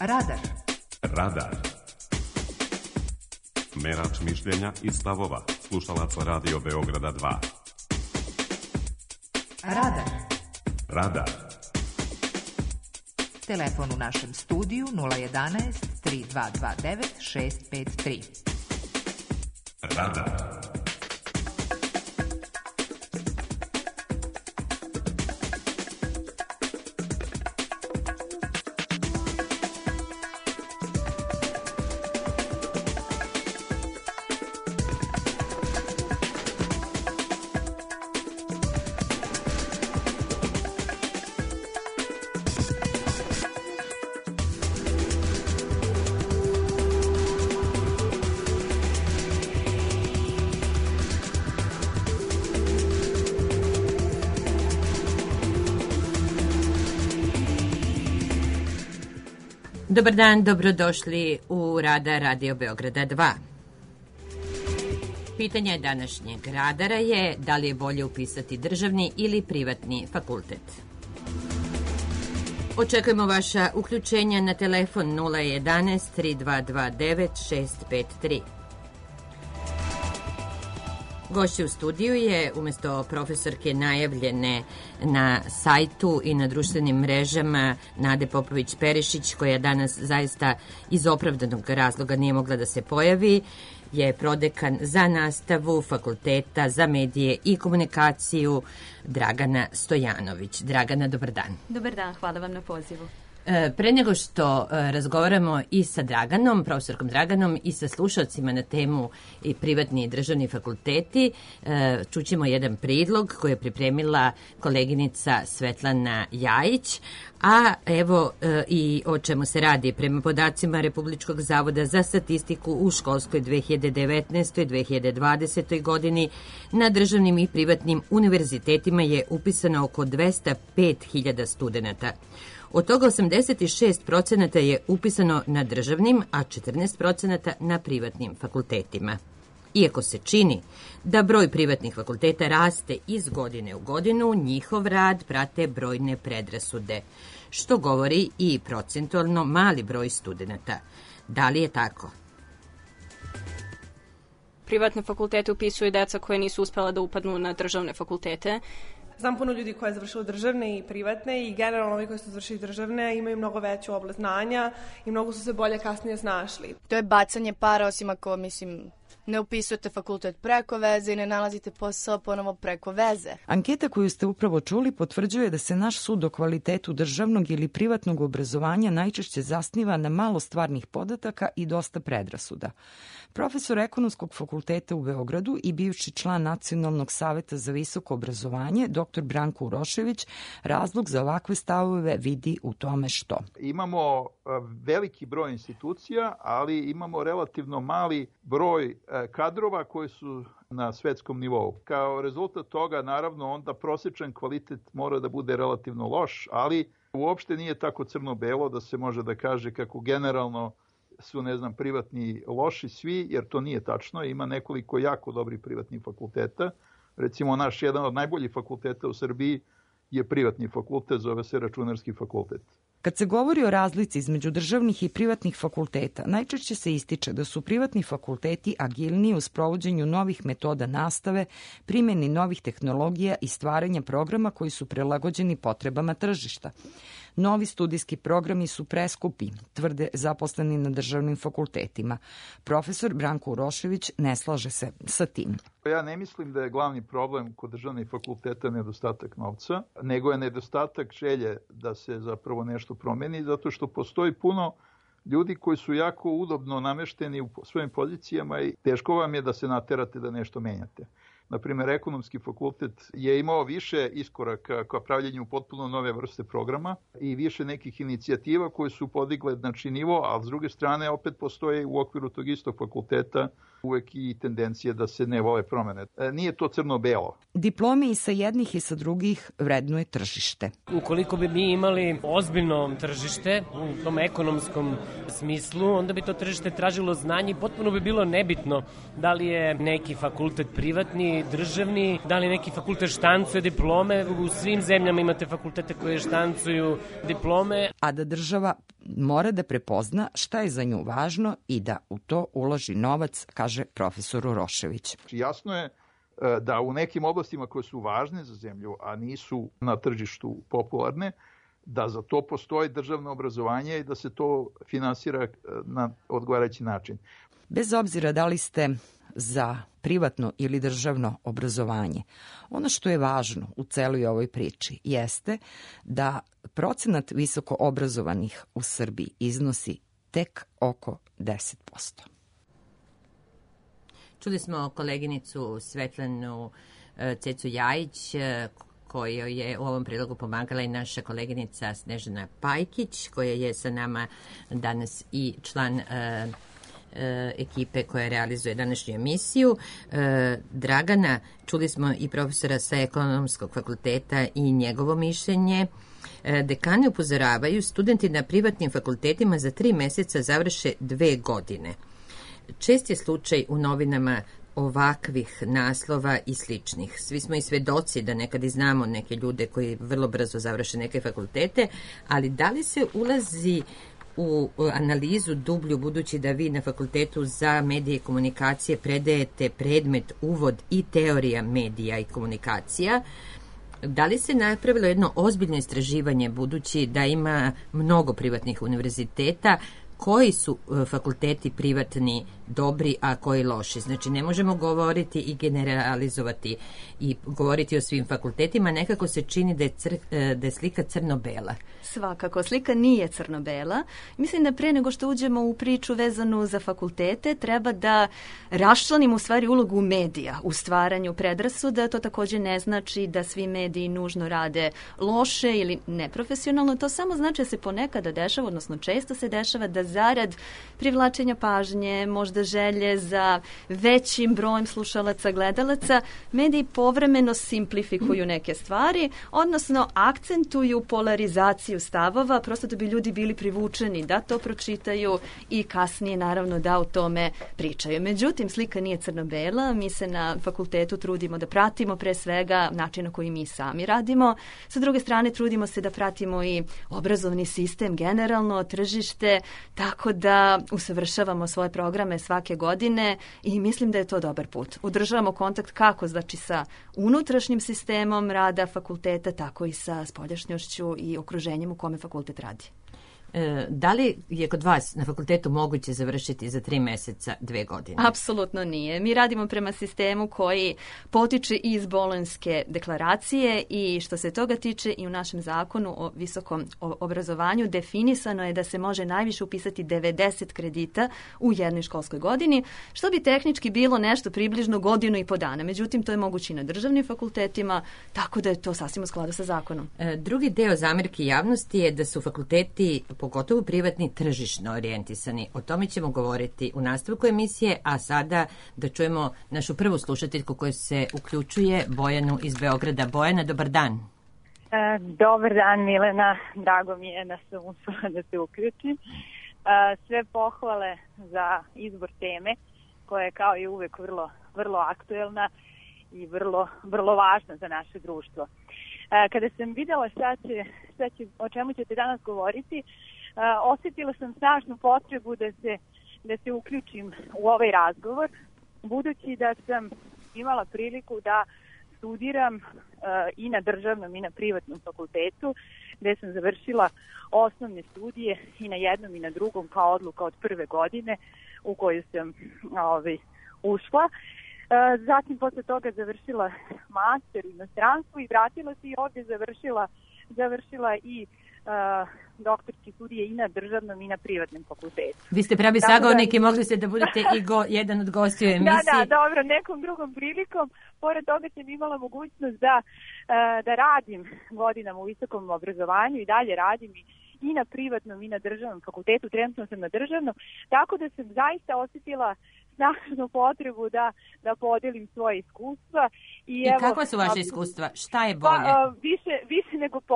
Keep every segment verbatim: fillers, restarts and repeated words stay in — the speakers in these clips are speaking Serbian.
Radar. Radar. Merač mišljenja i stavova slušalaca Radio Beograda dva. Radar. Radar. Telefon u našem studiju nula jedanaest tri dva dva devet šest pet tri. Radar. Dobar dan, dobrodošli u Radar Radio Beograda dva. Pitanje današnjeg radara je da li je bolje upisati državni ili privatni fakultet. Očekujemo vaša uključenja na telefon nula jedanaest tri dva dva devet šest pet tri. Gošće u studiju je, umjesto profesorke najavljene na sajtu i na društvenim mrežama, Nade Popović-Perišić, koja danas zaista iz opravdanog razloga nije mogla da se pojavi, je prodekan za nastavu Fakulteta za medije i komunikaciju Dragana Stojanović. Dragana, dobar dan. Dobar dan, hvala vam na pozivu. Pre nego što razgovaramo i sa Draganom, profesorkom Draganom, i sa slušalcima na temu i privatni i državni fakulteti, čućemo jedan predlog koji je pripremila koleginica Svetlana Jajić, a evo i o čemu se radi. Prema podacima Republičkog zavoda za statistiku u školskoj dve hiljade devetnaestoj dve hiljade dvadesetoj godini na državnim i privatnim univerzitetima je upisano oko dvesta pet hiljada studenata. Od toga osamdeset šest procenata je upisano na državnim, a četrnaest procenata na privatnim fakultetima. Iako se čini da broj privatnih fakulteta raste iz godine u godinu, njihov rad prate brojne predrasude, što govori i procentualno mali broj studenata. Da li je tako? Privatne fakultete upisuju deca koje nisu uspela da upadnu na državne fakultete. Znam puno ljudi koji je završilo državne i privatne i generalno ovi koji su završili državne imaju mnogo veću oblast znanja i mnogo su se bolje kasnije snašli. To je bacanje para, osim ako, mislim, ne upisujete fakultet preko veze i ne nalazite posao ponovo preko veze. Anketa koju ste upravo čuli potvrđuje da se naš sud o kvalitetu državnog ili privatnog obrazovanja najčešće zasniva na malo stvarnih podataka i dosta predrasuda. Profesor Ekonomskog fakulteta u Beogradu i bivši član Nacionalnog saveta za visoko obrazovanje, doktor Branko Urošević, razlog za ovakve stavove vidi u tome što. Imamo veliki broj institucija, ali imamo relativno mali broj kadrova koji su na svetskom nivou. Kao rezultat toga, naravno, onda prosječan kvalitet mora da bude relativno loš, ali uopšte nije tako crno-belo da se može da kaže kako generalno su, ne znam, privatni loši svi, jer to nije tačno. Ima nekoliko jako dobrih privatnih fakulteta. Recimo, naš jedan od najboljih fakulteta u Srbiji je privatni fakultet, zove se Računarski fakultet. Kad se govori o razlici između državnih i privatnih fakulteta, najčešće se ističe da su privatni fakulteti agilniji u sprovođenju novih metoda nastave, primjeni novih tehnologija i stvaranja programa koji su prilagođeni potrebama tržišta. Novi studijski programi su preskupi, tvrde zaposleni na državnim fakultetima. Profesor Branko Urošević ne slaže se sa tim. Ja ne mislim da je glavni problem kod državnih fakulteta nedostatak novca, nego je nedostatak želje da se zapravo nešto promeni, zato što postoji puno ljudi koji su jako udobno namešteni u svojim pozicijama i teško vam je da se naterate da nešto menjate. Naprimjer, Ekonomski fakultet je imao više iskoraka ka pravljenju potpuno nove vrste programa i više nekih inicijativa koje su podigle znači nivo, ali s druge strane opet postoje u okviru tog istog fakulteta uvek i tendencije da se ne vole promene. Nije to crno-belo. Diplome i sa jednih i sa drugih vrednuje tržište. Ukoliko bi mi imali ozbiljno tržište u tom ekonomskom smislu, onda bi to tržište tražilo znanje i potpuno bi bilo nebitno da li je neki fakultet privatni, državni, da li neki fakultet štancuje diplome. U svim zemljama imate fakultete koje štancuju diplome. A da država mora da prepozna šta je za nju važno i da u to uloži novac, kaže profesor Urošević. Jasno je da u nekim oblastima koje su važne za zemlju, a nisu na tržištu popularne, da za to postoji državno obrazovanje i da se to finansira na odgovarajući način. Bez obzira da li ste za privatno ili državno obrazovanje, ono što je važno u celoj ovoj priči jeste da procenat visoko obrazovanih u Srbiji iznosi tek oko deset posto. Čuli smo koleginicu Svetlanu Cecu Jajić, kojoj je u ovom prilogu pomagala i naša koleginica Snežana Pajkić, koja je sa nama danas i član e, e, ekipe koja realizuje današnju emisiju. E, Dragana, čuli smo i profesora sa Ekonomskog fakulteta i njegovo mišljenje. E, dekani upozoravaju, studenti na privatnim fakultetima za tri meseca završe dve godine. Čest je slučaj u novinama ovakvih naslova i sličnih. Svi smo i svedoci da nekad i znamo neke ljude koji vrlo brzo završe neke fakultete, ali da li se ulazi u analizu dublju, budući da vi na Fakultetu za medije i komunikacije predajete predmet uvod i teorija medija i komunikacija, da li se napravilo jedno ozbiljno istraživanje, budući da ima mnogo privatnih univerziteta, koji su fakulteti privatni dobri, a koji loši? Znači, ne možemo govoriti i generalizovati i govoriti o svim fakultetima. Nekako se čini da je, cr, da je slika crno-bela. Svakako, slika nije crno-bela. Mislim da pre nego što uđemo u priču vezanu za fakultete, treba da raščlanimo u stvari ulogu medija u stvaranju predrasuda. To također ne znači da svi mediji nužno rade loše ili neprofesionalno. To samo znači da se ponekada dešava, odnosno često se dešava da zarad privlačenja pažnje, možda želje za većim brojem slušalaca, gledalaca, mediji povremeno simplifikuju neke stvari, odnosno akcentuju polarizaciju stavova, prosto da bi ljudi bili privučeni da to pročitaju i kasnije naravno da o tome pričaju. Međutim, slika nije crno-bela, mi se na fakultetu trudimo da pratimo pre svega način na koji mi sami radimo. Sa druge strane, trudimo se da pratimo i obrazovni sistem generalno, tržište, tako da usavršavamo svoje programe svake godine i mislim da je to dobar put. Udržavamo kontakt kako znači sa unutrašnjim sistemom rada fakulteta, tako i sa spoljašnjošću i okruženjem u kome fakultet radi. E, da li je kod vas na fakultetu moguće završiti za tri meseca dve godine? Apsolutno nije. Mi radimo prema sistemu koji potiče iz Bolonjske deklaracije i što se toga tiče i u našem zakonu o visokom obrazovanju definisano je da se može najviše upisati devedeset kredita u jednoj školskoj godini, što bi tehnički bilo nešto približno godinu i po dana. Međutim, to je moguće i na državnim fakultetima, tako da je to sasvim u skladu sa zakonom. E, drugi deo zamerki javnosti je da su fakulteti pogotovo privatni, tržišno orijentisani. O tome ćemo govoriti u nastavku emisije, a sada da čujemo našu prvu slušateljku koja se uključuje, Bojanu iz Beograda. Bojana, dobar dan. E, dobar dan, Milena. Drago mi je da sam uspela da se uključim. E, sve pohvale za izbor teme, koja je kao i uvek vrlo, vrlo aktuelna i vrlo, vrlo važna za naše društvo. E, kada sam videla šta će, šta će, o čemu ćete danas govoriti, Uh, osjetila sam snažnu potrebu da se, da se uključim u ovaj razgovor, budući da sam imala priliku da studiram uh, i na državnom i na privatnom fakultetu, gde sam završila osnovne studije i na jednom i na drugom kao odluka od prve godine u koju sam ovaj, ušla. Uh, zatim posle toga završila master u inostranstvu i vratila se i ovdje završila, završila i Uh, doktorske studije i na državnom i na privatnom fakultetu. Vi ste pravi sagovornik i mogli ste da budete i go, jedan od gostiju emisije. Da, da, dobro, nekom drugom prilikom. Pored toga sam imala mogućnost da, uh, da radim godinama u visokom obrazovanju i dalje radim i, i na privatnom i na državnom fakultetu. Trenutno sam na državnom, tako da sam zaista osjetila snažnu potrebu da, da podelim svoje iskustva. I, I evo, kakva su vaše iskustva? Šta je bolje? Pa, više, više nego po,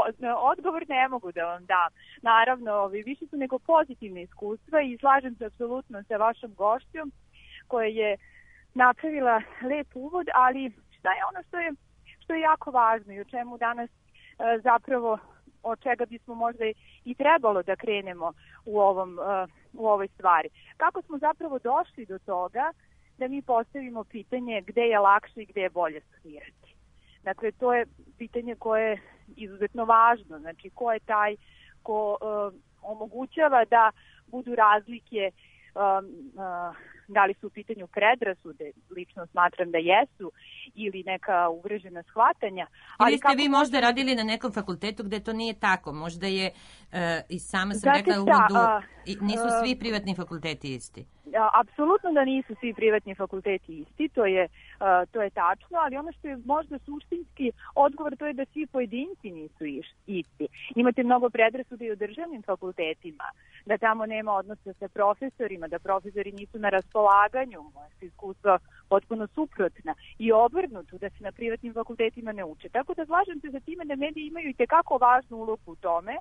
odgovor ne mogu da vam dam. Naravno, više su nego pozitivne iskustva i slažem se apsolutno sa vašom gošćom koja je napravila lep uvod, ali šta je ono što je, što je jako važno i o čemu danas zapravo od čega bismo možda i trebalo da krenemo u, ovom, u ovoj stvari. Kako smo zapravo došli do toga da mi postavimo pitanje gde je lakše i gde je bolje studirati. Dakle, to je pitanje koje je izuzetno važno. Znači, ko je taj ko uh, omogućava da budu razlike, um, uh, da li su u pitanju predrasude, lično smatram da jesu, ili neka uvrežena shvatanja. Ali ili ste vi možda radili na nekom fakultetu gde to nije tako? Možda je, uh, i sama sam Znate rekla u šta, uvodu, a, nisu a, svi privatni fakulteti isti. Apsolutno da nisu svi privatni fakulteti isti, to je, uh, to je tačno, ali ono što je možda suštinski odgovor, to je da svi pojedinci nisu isti. Imate mnogo predrasuda i u državnim fakultetima, da tamo nema odnosa sa profesorima, da profesori nisu na raspolaganju, moja su iskustva potpuno suprotna, i obrnuto, da se na privatnim fakultetima ne uče. Tako da slažem se za time da mediji imaju i tekako važnu ulogu u tome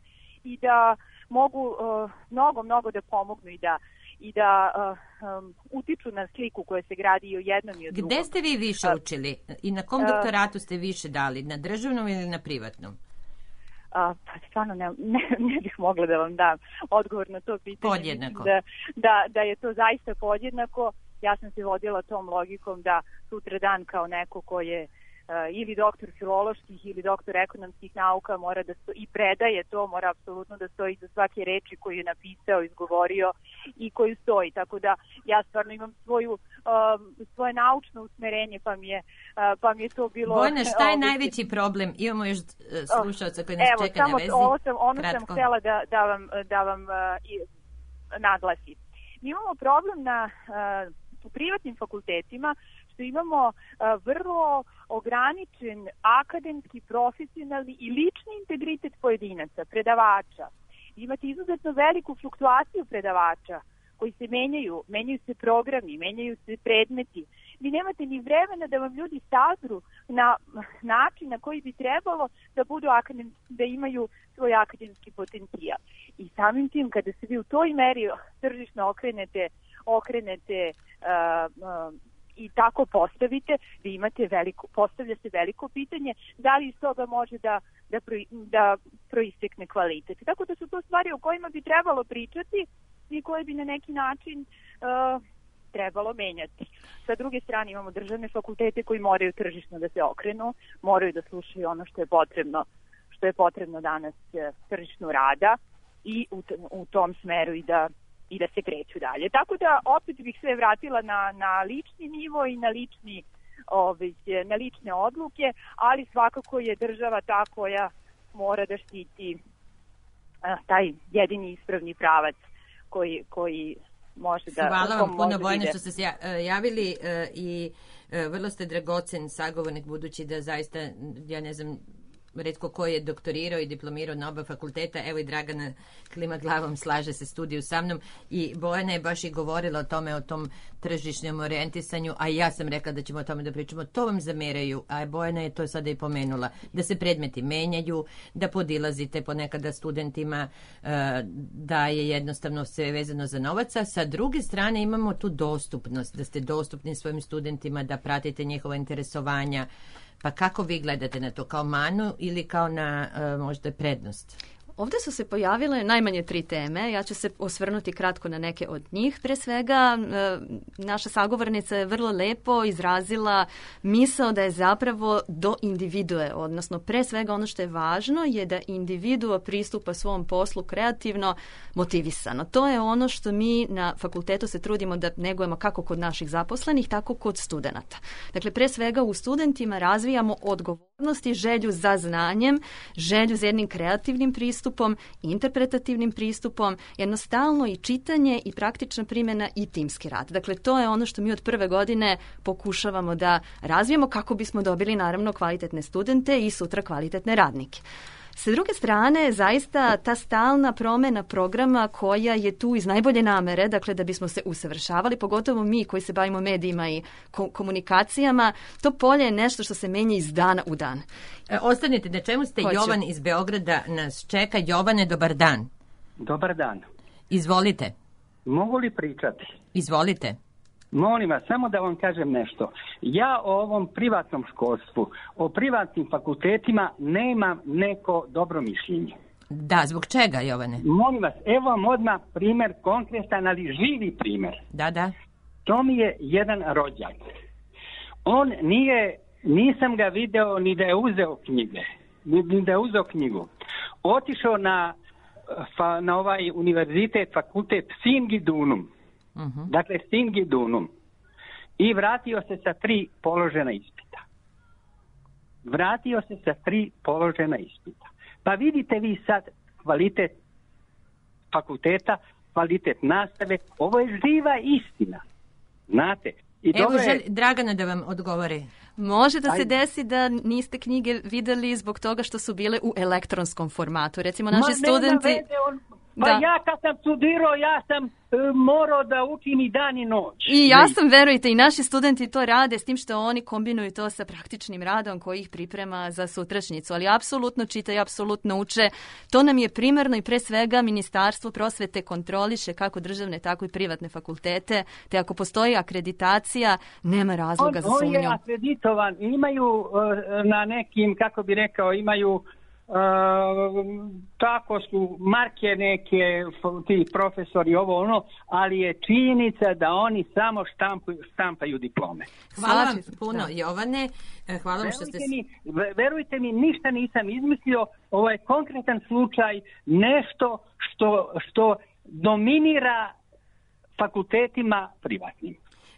i da mogu uh, mnogo, mnogo da pomognu i da i da uh, um, utiču na sliku koja se gradi i u jednom i u drugom. Gde ste vi više učili? I na kom doktoratu ste više dali? Na državnom ili na privatnom? Uh, pa stvarno ne, ne, ne bih mogla da vam dam odgovor na to pitanje. Podjednako. Da, da, da je to zaista podjednako. Ja sam se vodila tom logikom da sutra dan kao neko ko je Uh, ili doktor filoloških ili doktor ekonomskih nauka mora da sto, i predaje to, mora apsolutno da stoji za svake reči koju je napisao, izgovorio i koju stoji. Tako da ja stvarno imam svoju, uh, svoje naučno usmerenje, pa mi je, uh, pa mi je to bilo... Bojana, šta je najveći problem? Imamo još uh, slušalca koji nas Evo, čeka na vezi. Ovo sam, ono Kratko. sam htjela da, da vam, da vam uh, i, naglasim. Mi imamo problem na, uh, u privatnim fakultetima što imamo uh, vrlo ograničen akademski, profesionalni i lični integritet pojedinaca, predavača. Imate izuzetno veliku fluktuaciju predavača koji se menjaju, menjaju se programi, menjaju se predmeti. Vi nemate ni vremena da vam ljudi sazru na način na koji bi trebalo da budu akademski, da imaju svoj akademski potencijal. I samim tim, kada se vi u toj meri tržišno okrenete, okrenete uh, uh, i tako postavite, vi imate veliko, postavlja se veliko pitanje da li iz toga može da, da, pro, da proistekne kvalitet. Tako da su to stvari o kojima bi trebalo pričati i koje bi na neki način uh, trebalo menjati. Sa druge strane imamo državne fakultete koji moraju tržišno da se okrenu, moraju da slušaju ono što je potrebno, što je potrebno danas tržišnu rada i u, u tom smeru i da i da se kreću dalje. Tako da opet bih sve vratila na, na lični nivo i na, lični, ove, na lične odluke, ali svakako je država ta koja mora da štiti a, taj jedini ispravni pravac koji, koji može da... Hvala vam puno, Bojana, što ste se javili i vrlo ste dragocen sagovornik, budući da zaista, ja ne znam, retko ko je doktorirao i diplomirao na oba fakulteta, evo i Dragana klima glavom, slaže se studiju sa mnom, i Bojana je baš i govorila o tome, o tom tržišnom orijentisanju, a ja sam rekla da ćemo o tome da pričamo. To vam zameraju, a Bojana je to sada i pomenula, da se predmeti menjaju, da podilazite ponekada studentima, da je jednostavno sve vezano za novaca. Sa druge strane imamo tu dostupnost, da ste dostupni svojim studentima, da pratite njihova interesovanja. Pa kako vi gledate na to, kao manu ili kao na uh, možda prednost? Ovdje su se pojavile najmanje tri teme. Ja ću se osvrnuti kratko na neke od njih. Pre svega, naša sagovornica je vrlo lepo izrazila misao da je zapravo do individue, odnosno pre svega ono što je važno je da individua pristupa svom poslu kreativno, motivisano. To je ono što mi na fakultetu se trudimo da negujemo kako kod naših zaposlenih, tako kod studenata. Dakle, pre svega u studentima razvijamo odgovornost i želju za znanjem, želju za jednim kreativnim pristupom, pristupom, interpretativnim pristupom, jednostavno i čitanje i praktična primjena i timski rad. Dakle, to je ono što mi od prve godine pokušavamo da razvijemo kako bismo dobili naravno kvalitetne studente i sutra kvalitetne radnike. Sa druge strane, zaista ta stalna promjena programa koja je tu iz najbolje namere, dakle da bismo se usavršavali, pogotovo mi koji se bavimo medijima i ko- komunikacijama, to polje je nešto što se menja iz dana u dan. E, ostanite, na čemu ste? Hoću. Jovan iz Beograda nas čeka. Jovane, dobar dan. Dobar dan. Izvolite. Mogu li pričati? Izvolite. Molim vas, samo da vam kažem nešto. Ja o ovom privatnom školstvu, o privatnim fakultetima nemam neko dobro mišljenje. Da, zbog čega, Jovane? Molim vas, evo vam odmah primjer konkretan, ali živi primjer. Da, da. To mi je jedan rođak. On nije, nisam ga video ni da je uzeo knjige, ni, ni da je uzeo knjigu. Otišao na, fa, na ovaj univerzitet, fakultet Singidunum. Uh-huh. Dakle, Singidunum. I vratio se sa tri položena ispita. Vratio se sa tri položena ispita. Pa vidite vi sad kvalitet fakulteta, kvalitet nastave. Ovo je živa istina. Znate? I Evo, dobro je... želi Dragana da vam odgovori. Može da se desi da niste knjige videli zbog toga što su bile u elektronskom formatu. Recimo, naši Ma, studenti... Veze, on... Pa da. ja kad sam studirao, ja sam e, morao da učim i dan i noć. I ja sam, verujte, i naši studenti to rade, s tim što oni kombinuju to sa praktičnim radom koji ih priprema za sutrašnjicu. Ali apsolutno čitaju, apsolutno uče. To nam je primarno i pre svega Ministarstvo prosvete kontroliše kako državne, tako i privatne fakultete. Te ako postoji akreditacija, nema razloga on, za sumnju. On je akreditovan. Imaju uh, na nekim, kako bi rekao, imaju... Uh, tako su marke neke ti profesori ovo ono, ali je činjenica da oni samo štampaju, štampaju diplome. Hvala vam puno, Jovane. Hvala vam što ste... Mi, verujte mi, ništa nisam izmislio. Ovo je konkretan slučaj, nešto što, što dominira fakultetima privatnim.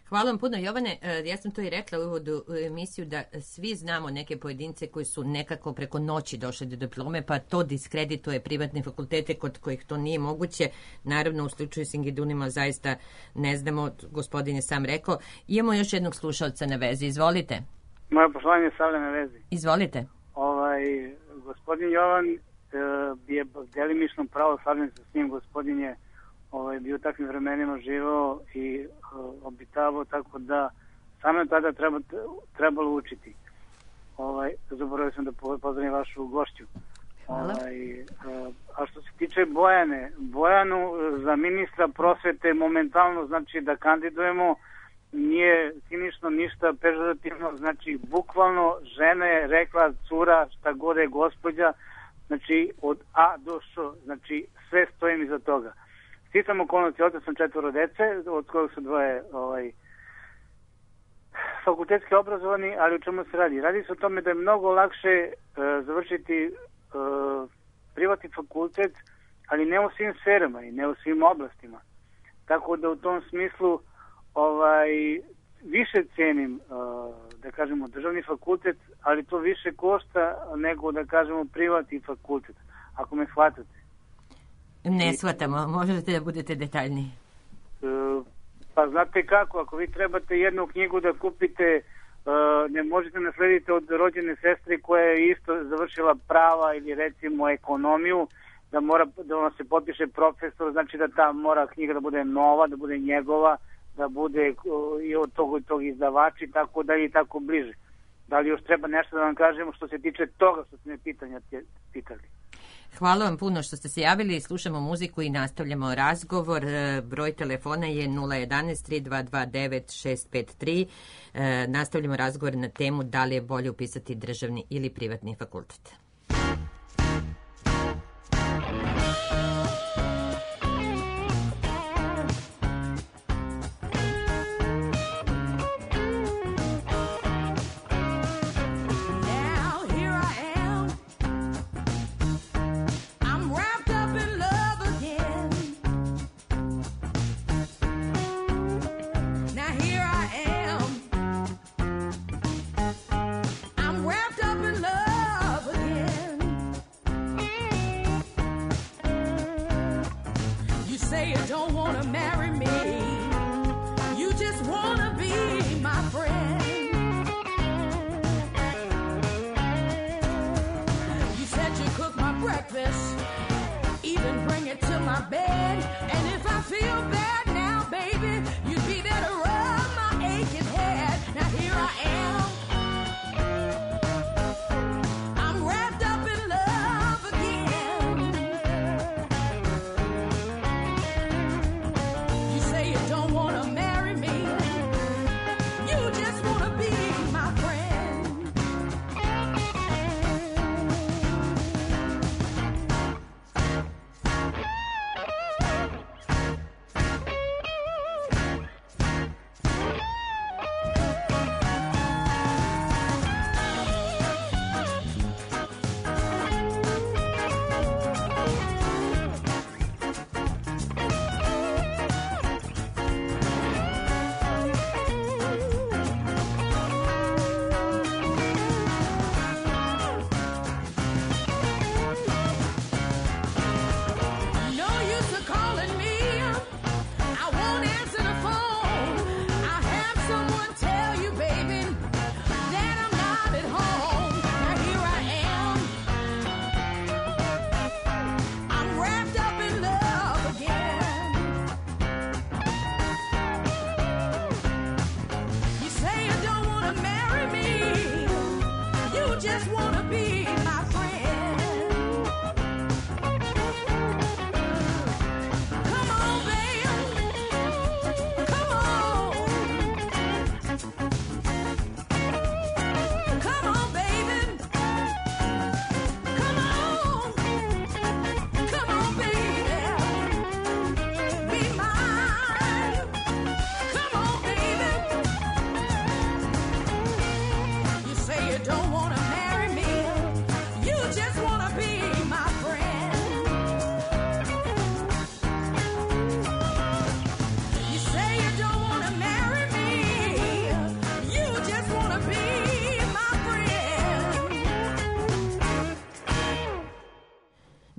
Hvala vam puno, Jovane. Ja sam to i rekla u uvodu u emisiju da svi znamo neke pojedince koji su nekako preko noći došli do diplome, pa to diskredituje privatne fakultete kod kojih to nije moguće. Naravno, u slučaju Singidunima zaista ne znamo, gospodin je sam rekao. Imamo još jednog slušalca na vezi. Izvolite. Moje poštovanje je stavlja na vezi. Izvolite. Ovaj, gospodin Jovan e, je delimično pravo, slavljen se s njim, gospodin je ovaj, bio u takvim vremenima živao i uh, obitavao, tako da samo tada treba, trebalo učiti. Ovaj, zaboravio sam da pozdravim vašu gošću. Ovaj, uh, a što se tiče Bojane, Bojanu za ministra prosvete momentalno znači da kandidujemo, nije cinično ništa pežorativno, znači bukvalno žena je rekla cura šta god je gospođa, znači od A do Š, znači sve stojim iza toga. Sticam okolnosti, otac sam četvoro dece, od kojeg su dvoje ovaj, fakultetski obrazovani, ali u čemu se radi? Radi se o tome da je mnogo lakše uh, završiti uh, privatni fakultet, ali ne u svim sferama i ne u svim oblastima. Tako da u tom smislu ovaj, više cenim, uh, da kažemo, državni fakultet, ali to više košta nego, da kažemo, privatni fakultet, ako me shvatate. Ne shvatamo, možete da budete detaljniji. Uh, pa znate kako, ako vi trebate jednu knjigu da kupite, uh, ne možete naslediti od rođene sestre koja je isto završila prava ili recimo ekonomiju, da mora da ona se potpiše profesor, znači da ta mora knjiga da bude nova, da bude njegova, da bude uh, i od tog i tog izdavači, tako da i tako bliže. Da li još treba nešto da vam kažemo što se tiče toga što ste me pitanja pitali? Hvala vam puno što ste se javili, slušamo muziku i nastavljamo razgovor. Broj telefona je nula jedan tri dva dva devet šest pet tri. Nastavljamo razgovor na temu da li je bolje upisati državni ili privatni fakultet.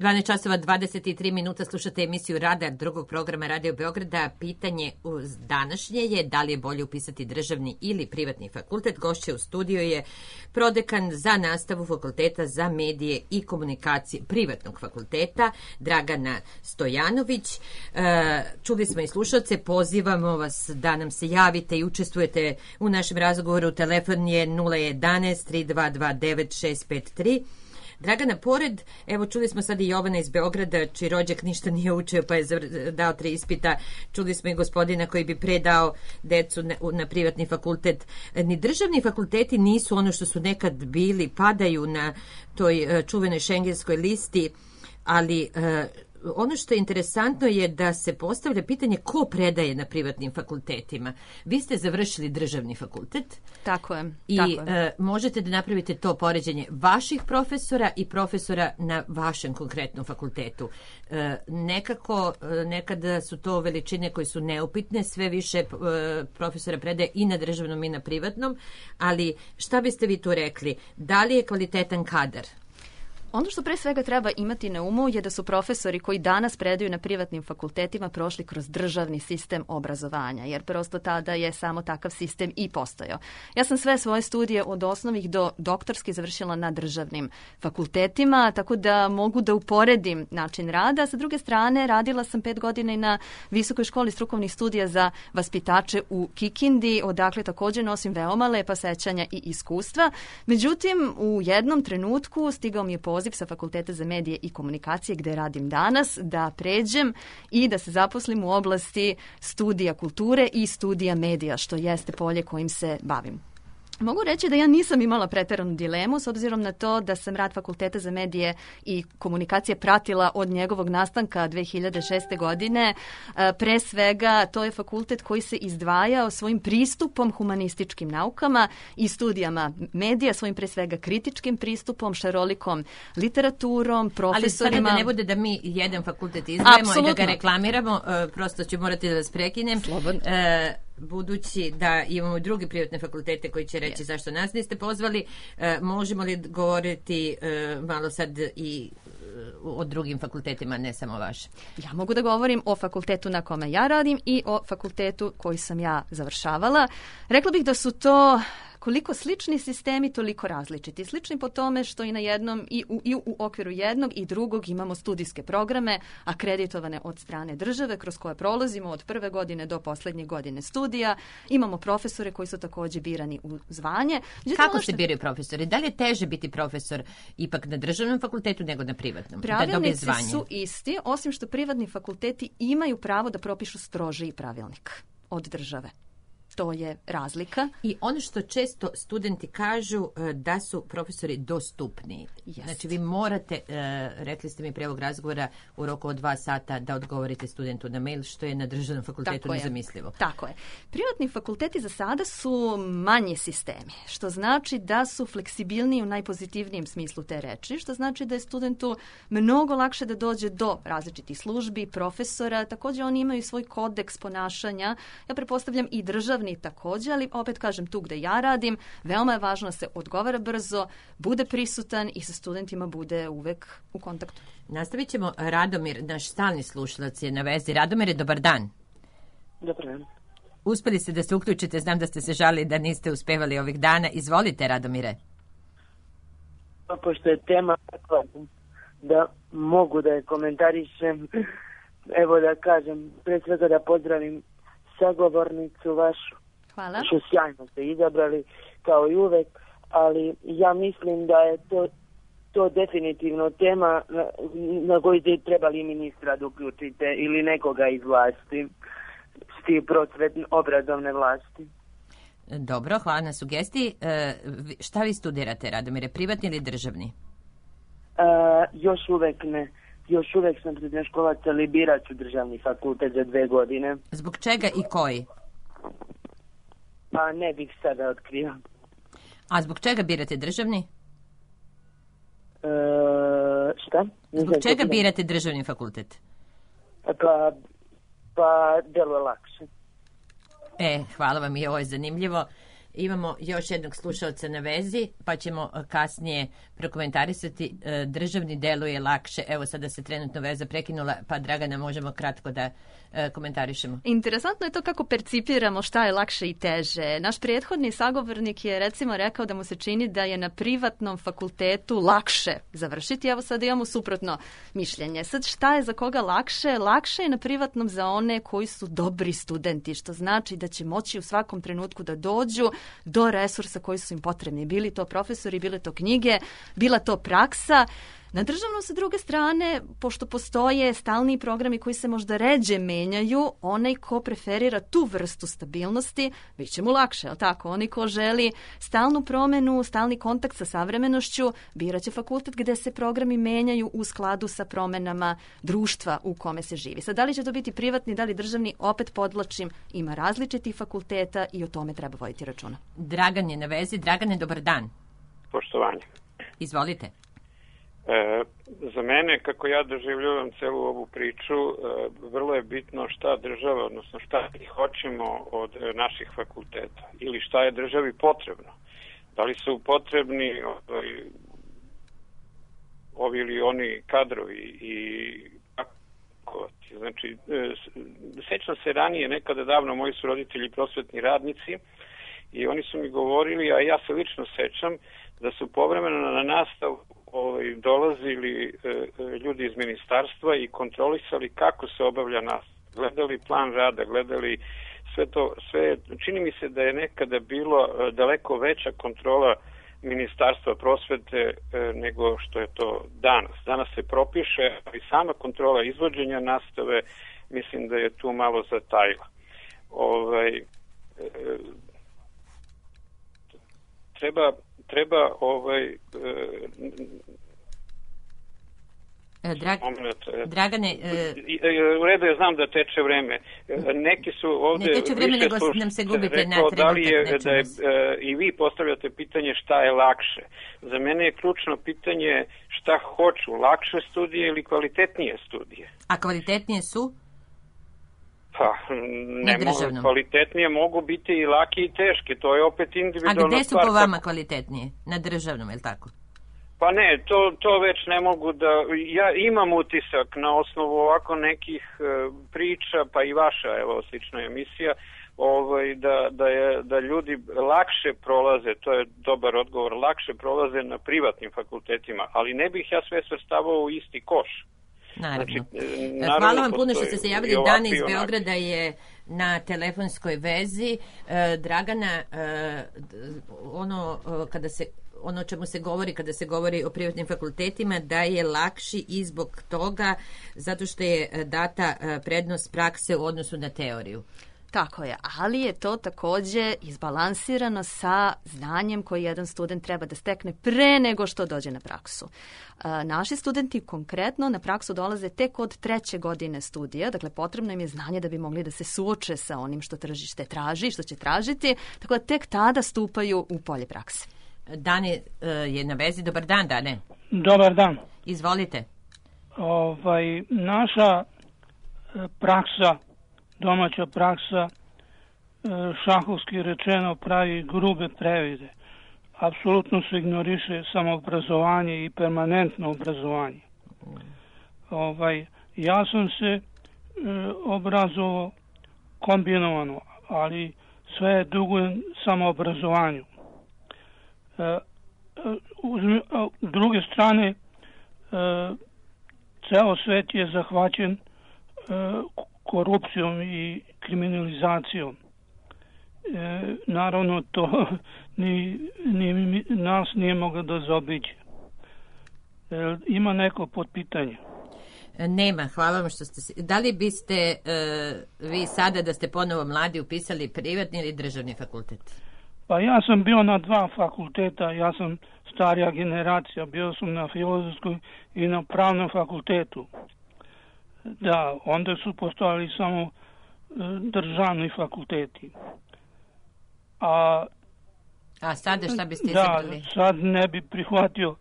dvanaest časova dvadeset tri minuta, slušate emisiju Radar drugog programa Radio Beograda. Pitanje uz današnje je da li je bolje upisati državni ili privatni fakultet. Gošće u studiju je prodekan za nastavu Fakulteta za medije i komunikacije privatnog fakulteta Dragana Stojanović. Čuli smo i slušalce, pozivamo vas da nam se javite i učestvujete u našem razgovoru. Telefon je nula jedanaest tri dva dva devet šest pet tri. Dragana, pored, evo čuli smo sad i Jovana iz Beograda, čiji rođak ništa nije učio pa je dao tri ispita, čuli smo i gospodina koji bi predao decu na, na privatni fakultet. Ni državni fakulteti nisu ono što su nekad bili, padaju na toj čuvenoj šengenskoj listi, ali ono što je interesantno je da se postavlja pitanje ko predaje na privatnim fakultetima. Vi ste završili državni fakultet. Tako je. I tako je. E, možete da napravite to poređenje vaših profesora i profesora na vašem konkretnom fakultetu. E, nekako, nekada su to veličine koje su neupitne, sve više e, profesora predaje i na državnom i na privatnom, ali šta biste vi tu rekli? Da li je kvalitetan kadar? Ono što pre svega treba imati na umu je da su profesori koji danas predaju na privatnim fakultetima prošli kroz državni sistem obrazovanja, jer prosto tada je samo takav sistem i postojao. Ja sam sve svoje studije od osnovnih do doktorskih završila na državnim fakultetima, tako da mogu da uporedim način rada. Sa druge strane, radila sam pet godina i na Visokoj školi strukovnih studija za vaspitače u Kikindi, odakle također nosim veoma lepa sećanja i iskustva. Međutim, u jednom trenutku stigao mi je poziv sa Fakulteta za medije i komunikacije gde radim danas, da pređem i da se zaposlim u oblasti studija kulture i studija medija, što jeste polje kojim se bavim. Mogu reći da ja nisam imala preteranu dilemu s obzirom na to da sam rad Fakulteta za medije i komunikacije pratila od njegovog nastanka dve hiljade šeste. godine. Pre svega to je fakultet koji se izdvajao svojim pristupom humanističkim naukama i studijama medija, svojim pre svega kritičkim pristupom, šarolikom literaturom, profesorima. Ali sada da ne bude da mi jedan fakultet izdvajamo i da ga reklamiramo, prosto ću morati da vas prekinem. Slobodno. E, budući da imamo druge privatne fakultete koji će reći yes. zašto nas niste pozvali, e, možemo li govoriti e, malo sad i e, o drugim fakultetima, ne samo vaše? Ja mogu da govorim o fakultetu na kome ja radim i o fakultetu koji sam ja završavala. Rekla bih da su to koliko slični sistemi, toliko različiti. Slični po tome što i na jednom i u, i u okviru jednog i drugog imamo studijske programe akreditovane od strane države kroz koje prolazimo od prve godine do poslednje godine studija. Imamo profesore koji su također birani u zvanje. Međutim, kako što... se biraju profesori? Da li je teže biti profesor ipak na državnom fakultetu nego na privatnom? Pravilnici da su isti, osim što privatni fakulteti imaju pravo da propišu strožiji pravilnik od države. To je razlika. I ono što često studenti kažu da su profesori dostupni. Yes. Znači vi morate, rekli ste mi pre ovog razgovora, u roku od dva sata da odgovorite studentu na mail, što je na državnom fakultetu Tako nezamislivo. Je. Tako je. Privatni fakulteti za sada su manji sistemi, što znači da su fleksibilniji u najpozitivnijem smislu te reči, što znači da je studentu mnogo lakše da dođe do različitih službi, profesora, također oni imaju svoj kodeks ponašanja. Ja pretpostavljam i državni također, ali opet kažem tu gde ja radim, veoma je važno da se odgovara brzo, bude prisutan i sa studentima bude uvek u kontaktu. Nastavit ćemo. Radomir, naš stalni slušalac je na vezi. Radomire, dobar dan. Dobar dan. Uspeli ste da se uključite, znam da ste se žalili da niste uspevali ovih dana. Izvolite, Radomire. Pa, pošto je tema takva da mogu da je komentarišem, evo da kažem, pre svega da pozdravim sagovornicu vašu. Hvala. Što sjajno ste izabrali, kao i uvek, ali ja mislim da je to, to definitivno tema na, na koju ste trebali ministra da uključite ili nekoga iz vlasti, sti prosvetne obrazovne vlasti. Dobro, hvala na sugestiji. E, šta vi studirate, Radomire, privatni ili državni? E, još uvek ne. Još uvek sam srednjoškolac, ali birat ću državni fakultet za dve godine. Zbog čega i koji? Pa ne bih sada otkrio. A zbog čega birate državni? E, šta? Ne zbog čega birate državni fakultet? Pa, pa delo je lakše. E, hvala vam i ovo je zanimljivo. Imamo još jednog slušalca na vezi, pa ćemo kasnije prokomentarisati. Državni deluje lakše. Evo sada se trenutno veza prekinula, pa Dragana možemo kratko da komentarišemo. Interesantno je to kako percipiramo šta je lakše i teže. Naš prethodni sagovornik je recimo rekao da mu se čini da je na privatnom fakultetu lakše završiti. Evo sada imamo suprotno mišljenje. Sad šta je za koga lakše? Lakše je na privatnom za one koji su dobri studenti, što znači da će moći u svakom trenutku da dođu do resursa koji su im potrebni. Bili to profesori, bile to knjige, bila to praksa. Na državnom sa druge strane, pošto postoje stalni programi koji se možda ređe menjaju, onaj ko preferira tu vrstu stabilnosti, bit će mu lakše, je li tako? Onaj ko želi stalnu promenu, stalni kontakt sa savremenošću, biraće fakultet gde se programi menjaju u skladu sa promenama društva u kome se živi. Sad, da li će to biti privatni, da li državni, opet podvlačim, ima različitih fakulteta i o tome treba voditi računa. Dragan je na vezi. Dragane, dobar dan. Poštovanje. Izvolite. E, za mene, kako ja doživljavam celu ovu priču, e, vrlo je bitno šta država, odnosno šta mi hoćemo od naših fakulteta ili šta je državi potrebno. Da li su potrebni ovi, ovi ili oni kadrovi i znači, e, sećam se ranije, nekada davno, moji su roditelji prosvetni radnici i oni su mi govorili, a ja se lično sećam, da su povremeno na nastavu ovaj, dolazili e, ljudi iz ministarstva i kontrolisali kako se obavlja nastava. Gledali plan rada, gledali sve to, sve, čini mi se da je nekada bilo e, daleko veća kontrola ministarstva prosvete e, nego što je to danas. Danas se propiše, ali sama kontrola izvođenja nastave, mislim da je tu malo zatajila. Ovaj, e, treba treba ovaj e, Drag... moment, Dragane e, u redu je, znam da teče vreme. Neki su ovde ne teče vreme, nego nam se gubite rekao, na trenutak. Da li je, da je, e, i vi postavljate pitanje šta je lakše. Za mene je ključno pitanje šta hoću, lakše studije ili kvalitetnije studije. A kvalitetnije su? Pa, ne mogu, kvalitetnije mogu biti i laki i teške, to je opet individualna stvar. A gde su stvar, po vama kvalitetnije? Na državnom, je li tako? Pa ne, to, to već ne mogu da... Ja imam utisak na osnovu ovako nekih e, priča, pa i vaša, evo, slična emisija, ovaj, da, da, je, da ljudi lakše prolaze, to je dobar odgovor, lakše prolaze na privatnim fakultetima, ali ne bih ja sve svrstavao u isti koš. Naravno. Znači, naravno. Hvala vam puno što ste se javili. Dana iz Beograda je na telefonskoj vezi. E, Dragana, e, ono kada se ono o čemu se govori kada se govori o privatnim fakultetima, da je lakši i zbog toga zato što je data prednost prakse u odnosu na teoriju. Tako je, ali je to takođe izbalansirano sa znanjem koji jedan student treba da stekne pre nego što dođe na praksu. E, naši studenti konkretno na praksu dolaze tek od treće godine studija, dakle potrebno im je znanje da bi mogli da se suoče sa onim što tržište traži, što će tražiti, tako da tek tada stupaju u polje prakse. Dane je na vezi. Dobar dan, Dane. Dobar dan. Izvolite. Ovaj, naša praksa, domaća praksa, šahovski rečeno, pravi grube previde. Apsolutno se ignoriše samoobrazovanje i permanentno obrazovanje. Ovaj, ja sam se e, obrazovao kombinovano, ali sve je dugujem samoobrazovanju. E, s druge strane, e, ceo svet je zahvaćen e, korupcijom i kriminalizacijom. E, naravno, to ni, ni nas nije moglo da zaobiđe. E, ima neko potpitanje? Nema, hvala vam što ste... Da li biste e, vi sada, da ste ponovo mladi, upisali privatni ili državni fakultet? Pa ja sam bio na dva fakulteta, ja sam starija generacija, bio sam na filozofskoj i na pravnom fakultetu. Da, onda su postojali samo e, državni fakulteti. A, A sada šta biste da, izabrali? sad ne bi prihvatio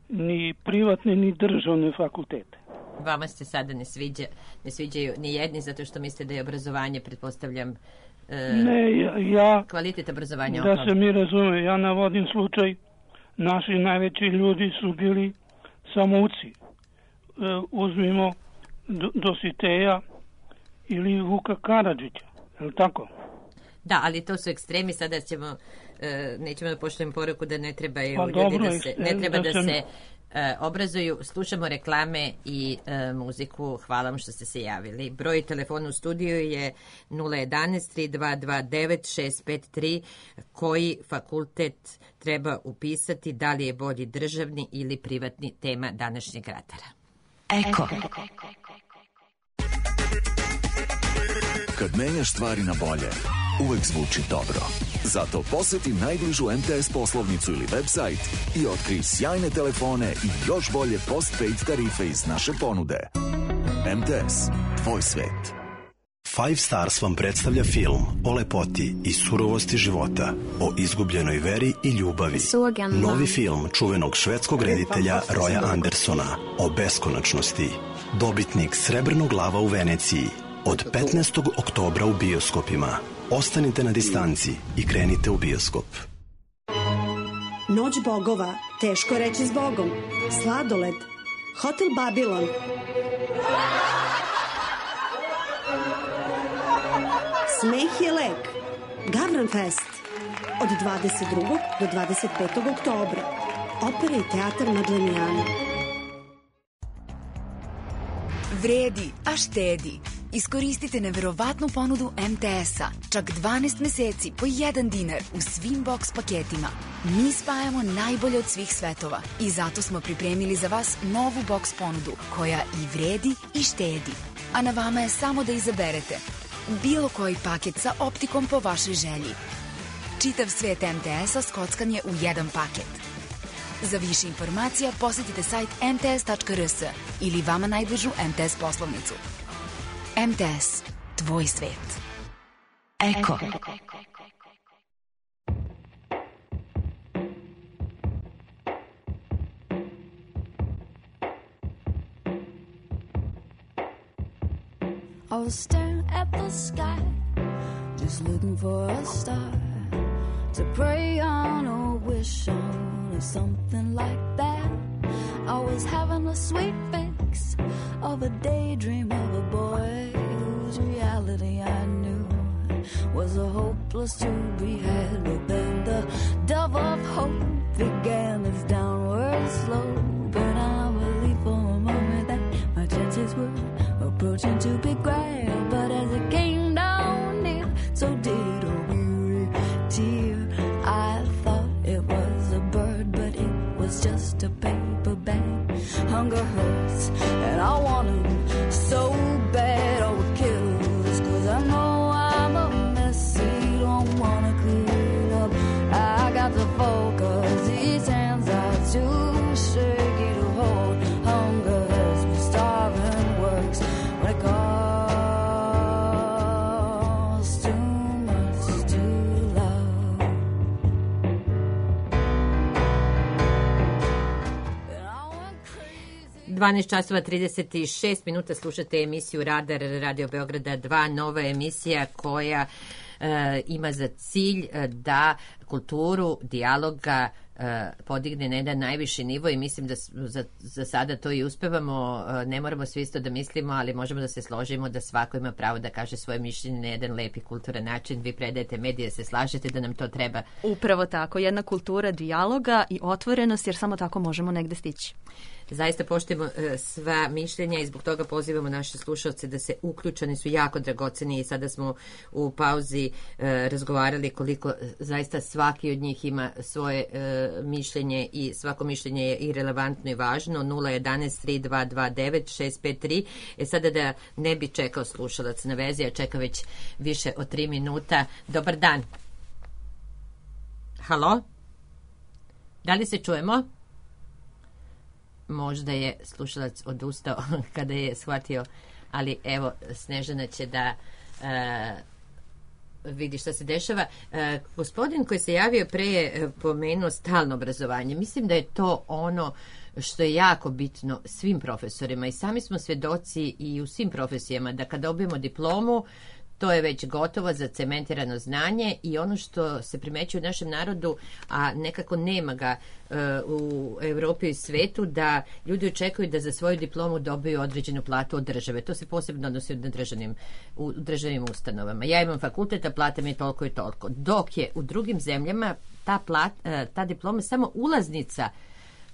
ni privatne ni državne fakultete. Vama se sada ne, sviđa, ne sviđaju ni jedni zato što mislite da je obrazovanje, pretpostavljam, e, ne, ja, ja, kvalitet obrazovanja. Da se mi razume, ja navodim slučaj, naši najveći ljudi su bili samouci. E, uzmimo Dositeja ili Vuka Karadžića, je li tako? Da, ali to su ekstremi, sada ćemo, e, nećemo da pošljemo poruku da ne trebaju pa ljudi dobro, da se, ne treba da, da sam... se e, obrazuju. Slušamo reklame i e, muziku. Hvala vam što ste se javili. Broj telefona u studiju je nula jedanaest tri dva dva devet šest pet tri. Koji fakultet treba upisati, da li je bolji državni ili privatni, tema današnjeg ratara. Eko. Kad menjaš stvari na bolje, uvek zvuči dobro. Zato poseti najbližu M T S poslovnicu ili website i otkrij sjajne telefone i još bolje postpaid tarife iz naše ponude. M T S, tvoj svet. Five Stars vam predstavlja film o lepoti i surovosti života, o izgubljenoj veri i ljubavi. Novi film čuvenog švedskog reditelja Roya Andersona o beskonačnosti. Dobitnik Srebrnog lava u Veneciji. Od petnaestog oktobra u bioskopima. Ostanite na distanci i krenite u bioskop. Noć bogova, teško reći s Bogom. Sladoled, Hotel Babilon. Smeh je lek. Gavran Fest. Od dvadeset drugog do dvadeset petog oktobra. Opera i teatar Madlenijana. Vredi, a štedi. Iskoristite neverovatnu ponudu M T S-a. Čak dvanaest meseci po jedan dinar u svim box paketima. Mi spajamo najbolje od svih svetova i zato smo pripremili za vas novu box ponudu koja i vredi i štedi. A na vama je samo da izaberete bilo koji paket sa optikom po vašoj želji. Čitav svet M T S-a skockan je u jedan paket. Za više informacija posetite sajt m t s tačka r s ili vama najbližu M T S poslovnicu. M T S, tvoj svet. Eko. I was staring at the sky, just looking for a star to pray on or wish on or something like that. I was having a sweet fix of a daydream of a boy whose reality I knew was a hopeless to be had. But then the dove of hope began its downward slope, and I believed for a moment that my chances were approaching to be grand. But as it came down near, so did a weary tear. I thought it was a bird, but it was just a paper bag. Hunger hurts, and I want him so bad. Oh, it kills, cause I know I'm a mess he don't wanna clean up. I got to focus, these hands are too shaky to hold. Hunger hurts, but starving works when it costs too much to love. dvanaest časova trideset šest minuta, slušate emisiju Radar Radio Beograda dva, nova emisija koja e, ima za cilj da kulturu dijaloga e, podigne na jedan najviši nivo i mislim da za, za sada to i uspevamo. E, ne moramo svi isto da mislimo, ali možemo da se složimo da svako ima pravo da kaže svoje mišljenje na jedan lepi kulturan način. Vi predajete medije, se slažete da nam to treba. Upravo tako, jedna kultura dijaloga i otvorenost, jer samo tako možemo negde stići. Zaista poštujemo uh, sva mišljenja i zbog toga pozivamo naše slušalce da se uključe, oni su jako dragoceni i sada smo u pauzi uh, razgovarali koliko zaista svaki od njih ima svoje uh, mišljenje i svako mišljenje je i relevantno i važno. Nula jedanaest tri dva dva devet šest pet tri. E sada da ne bi čekao slušalac na vezi, a čeka već više od tri minuta. Dobar dan. Halo? Da li se čujemo? Možda je slušalac odustao kada je shvatio, ali evo, Snežana će da uh, vidi šta se dešava. Uh, gospodin koji se javio pre je pomenuo stalno obrazovanje. Mislim da je to ono što je jako bitno svim profesorima i sami smo svjedoci i u svim profesijama da kad dobijemo diplomu, to je već gotovo zacementirano znanje i ono što se primećuje u našem narodu, a nekako nema ga uh, u Evropi i svetu, da ljudi očekuju da za svoju diplomu dobiju određenu platu od države. To se posebno odnosi na državnim, u državnim ustanovama. Ja imam fakultet, a plata mi je toliko i toliko. Dok je u drugim zemljama ta, plat, uh, ta diploma samo ulaznica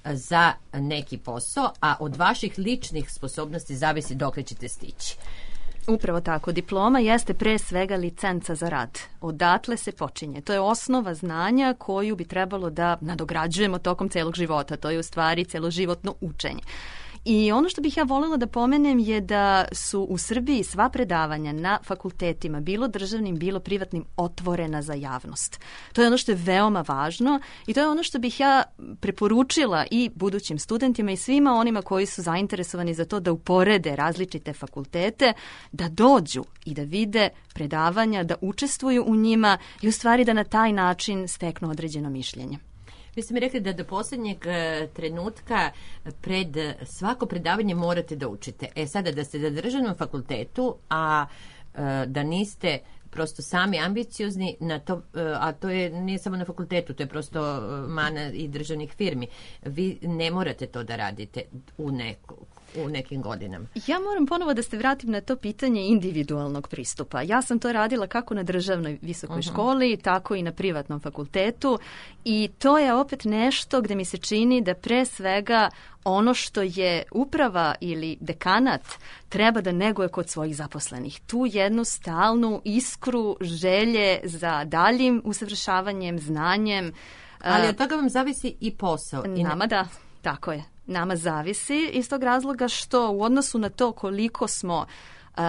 za neki posao, a od vaših ličnih sposobnosti zavisi dokle ćete stići. Upravo tako. Diploma jeste pre svega licenca za rad. Odatle se počinje. To je osnova znanja koju bi trebalo da nadograđujemo tokom celog života. To je u stvari celoživotno učenje. I ono što bih ja voljela da pomenem je da su u Srbiji sva predavanja na fakultetima, bilo državnim, bilo privatnim, otvorena za javnost. To je ono što je veoma važno i to je ono što bih ja preporučila i budućim studentima i svima onima koji su zainteresovani za to da uporede različite fakultete, da dođu i da vide predavanja, da učestvuju u njima i u stvari da na taj način steknu određeno mišljenje. Vi ste mi rekli da do posljednjeg trenutka pred svako predavanje morate da učite. E sada da ste na državnom fakultetu, a da niste prosto sami ambiciozni, na to, a to je nije samo na fakultetu, to je prosto mana i državnih firmi. Vi ne morate to da radite u neku u nekim godinama. Ja moram ponovo da se vratim na to pitanje individualnog pristupa. Ja sam to radila kako na državnoj visokoj uh-huh. školi, tako i na privatnom fakultetu i to je opet nešto gde mi se čini da pre svega ono što je uprava ili dekanat treba da neguje kod svojih zaposlenih. Tu jednu stalnu iskru želje za daljim usavršavanjem, znanjem. Ali od toga vam zavisi i posao. Nama da, tako je. Nama zavisi iz tog razloga što u odnosu na to koliko smo um,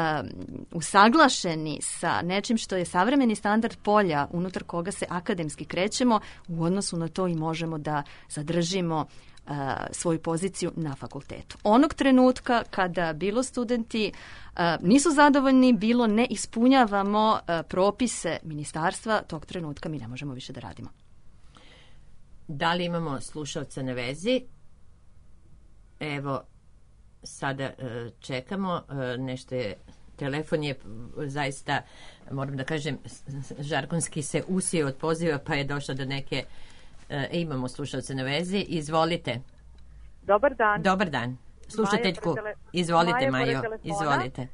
usaglašeni sa nečim što je savremeni standard polja unutar koga se akademski krećemo, u odnosu na to i možemo da zadržimo uh, svoju poziciju na fakultetu. Onog trenutka kada bilo studenti uh, nisu zadovoljni, bilo ne ispunjavamo uh, propise ministarstva, tog trenutka mi ne možemo više da radimo. Da li imamo slušalca na vezi? Evo, sada čekamo, nešto je, telefon je zaista, moram da kažem, žargonski se usio od poziva, pa je došlo do neke, e, imamo slušalce na vezi, izvolite. Dobar dan. Dobar dan. Slušateljku, tele... izvolite Majo, izvolite.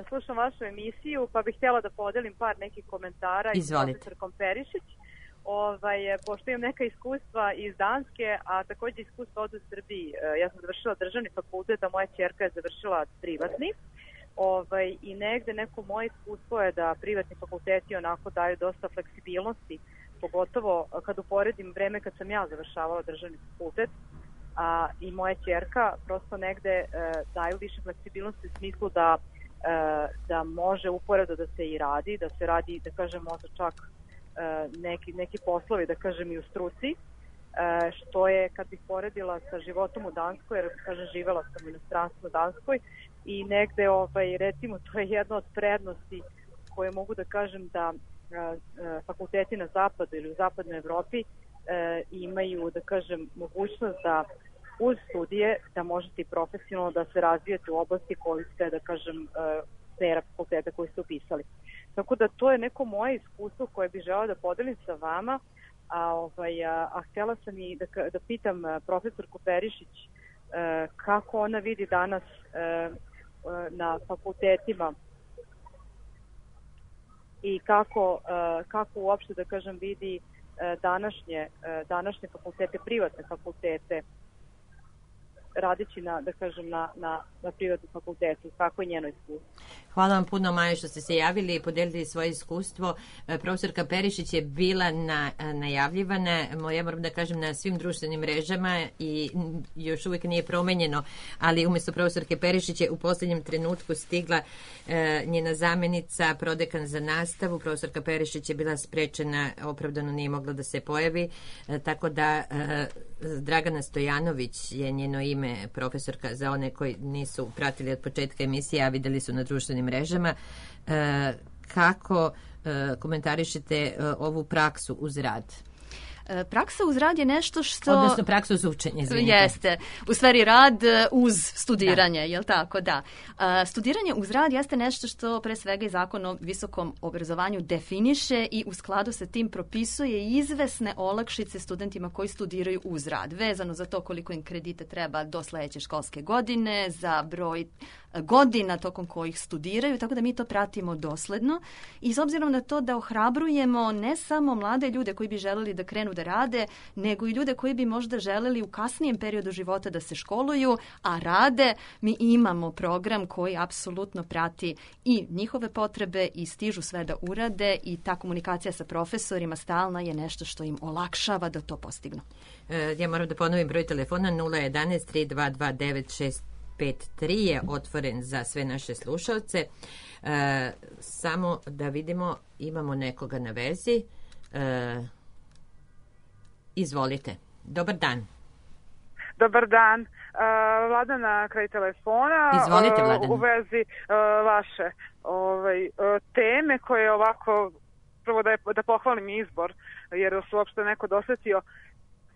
Slušam vašu emisiju, pa bih htjela da podelim par nekih komentara i s profesorkom Perišić. Ovaj, pošto imam neka iskustva iz Danske, a također iskustva od u Srbiji. Ja sam završila državni fakultet, a moja ćerka je završila privatni. Ovaj, I negde neko moje iskustvo je da privatni fakulteti onako daju dosta fleksibilnosti, pogotovo kad uporedim vreme kad sam ja završavala državni fakultet, a i moja ćerka prosto negde e, daju više fleksibilnosti u smislu da, e, da može uporedo da se i radi, da se radi, da kažem, možda čak neki, neki poslovi, da kažem, i u struci, što je, kad bih poredila sa životom u Danskoj, jer, kažem, živela sam u inostranstvu u Danskoj i negde, ovaj, recimo, to je jedna od prednosti koje mogu da kažem da fakulteti na zapadu ili u zapadnoj Evropi imaju, da kažem, mogućnost da uz studije da možete i profesionalno da se razvijete u oblasti koju ste, da kažem, smera fakulteta koji ste upisali. Tako da to je neko moje iskustvo koje bih žela da podelim sa vama, a, ovaj, a, a htjela sam i da, da pitam profesorku Perišić e, kako ona vidi danas e, na fakultetima i kako, e, kako uopšte, da kažem, vidi e, današnje, e, današnje fakultete, privatne fakultete, radeći na, da kažem, na, na, na privatnom fakultetu. Kako je njeno iskustvo? Hvala vam puno, Maja, što ste se javili i podelili svoje iskustvo. Profesorka Perišić je bila na, najavljivana, ja moram da kažem, na svim društvenim mrežama i još uvijek nije promenjeno, ali umjesto profesorke Perišić je u posljednjem trenutku stigla e, njena zamjenica, prodekan za nastavu. Profesorka Perišić je bila sprečena, opravdano nije mogla da se pojavi, e, tako da e, Dragana Stojanović je njeno ime, profesorka, za one koji nisu pratili od početka emisije, a videli su na društvenim mrežama. E, kako e, komentarišete e, ovu praksu uz rad? Praksa uz rad je nešto što... Odnosno praksa uz učenje, izvinite. Jeste. U stvari rad uz studiranje, da. Jel tako? Da. Studiranje uz rad jeste nešto što pre svega i Zakon o visokom obrazovanju definiše i u skladu sa tim propisuje izvesne olakšice studentima koji studiraju uz rad, vezano za to koliko im kredita treba do sledeće školske godine, za broj godina tokom kojih studiraju, tako da mi to pratimo dosledno i s obzirom na to da ohrabrujemo ne samo mlade ljude koji bi želeli da krenu da rade, nego i ljude koji bi možda želeli u kasnijem periodu života da se školuju, a rade, mi imamo program koji apsolutno prati i njihove potrebe i stižu sve da urade i ta komunikacija sa profesorima stalna je nešto što im olakšava da to postignu. Ja moram da ponovim broj telefona nula jedanaest tri dva dva devet šest pet tri je otvoren za sve naše slušalce. E, samo da vidimo, imamo nekoga na vezi. E, izvolite. Dobar dan. Dobar dan. Uh, Vladana kraj telefona. Izvolite, Vladana. Uh, u vezi uh, vaše ovaj, uh, teme koje ovako, prvo da, je, da pohvalim izbor, jer su uopšte neko dosetio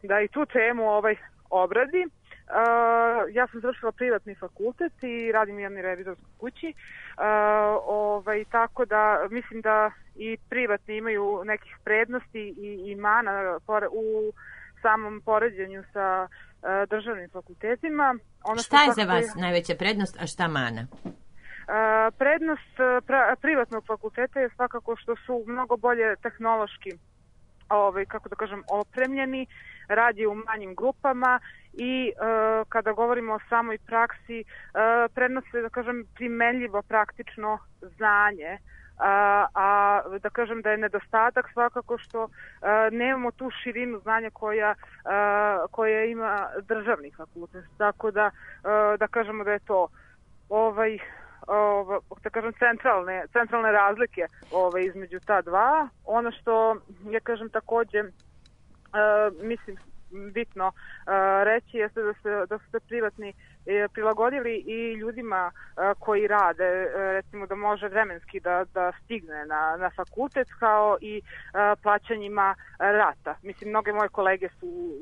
da i tu temu ovaj obradi. Uh, ja sam završila privatni fakultet i radim u jednoj revizorskoj kući, uh, ovaj, tako da mislim da i privatni imaju nekih prednosti i, i mana u samom poređenju sa uh, državnim fakultetima. Ono šta je za vas je, najveća prednost, a šta mana? Uh, prednost pra, privatnog fakulteta je svakako što su mnogo bolje tehnološki, ovaj, kako da kažem, opremljeni, radi u manjim grupama i uh, kada govorimo o samoj praksi, uh, prenose, da kažem, primenljivo praktično znanje, uh, a da kažem da je nedostatak svakako što uh, nemamo tu širinu znanja koja, uh, koja ima državni fakultet. Tako da, uh, da kažemo da je to ovaj, ovaj, da kažem, centralne, centralne razlike ovaj, između ta dva. Ono što, ja kažem, takođe, Uh, mislim bitno uh, reći jeste da, se, da su se privatni uh, prilagodili i ljudima uh, koji rade, uh, recimo da može vremenski da, da stigne na, na fakultet, kao i uh, plaćanjima rata. Mislim, mnoge moje kolege su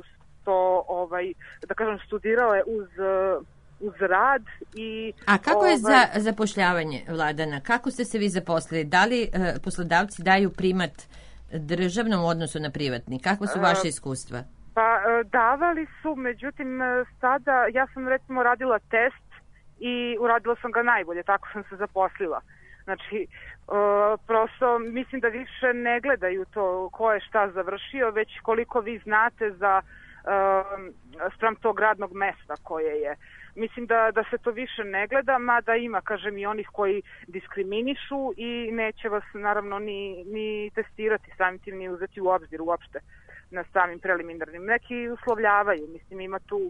to, ovaj, da kažem, studirale uz, uh, uz rad. I, A kako ovaj, je za zapošljavanje, Vladana? Kako ste se vi zaposlili? Da li uh, poslodavci daju primat državnom odnosu na privatni? Kakva su vaše iskustva? Pa davali su, međutim sada ja sam recimo radila test i uradila sam ga najbolje, tako sam se zaposlila. Znači, prosto mislim da više ne gledaju to ko je šta završio, već koliko vi znate za spram tog radnog mesta koje je. Mislim da, da se to više ne gleda, mada ima, kažem, i onih koji diskriminišu i neće vas naravno ni, ni testirati samim tim, ni uzeti u obzir uopšte na samim preliminarnim. Neki uslovljavaju, mislim, ima tu,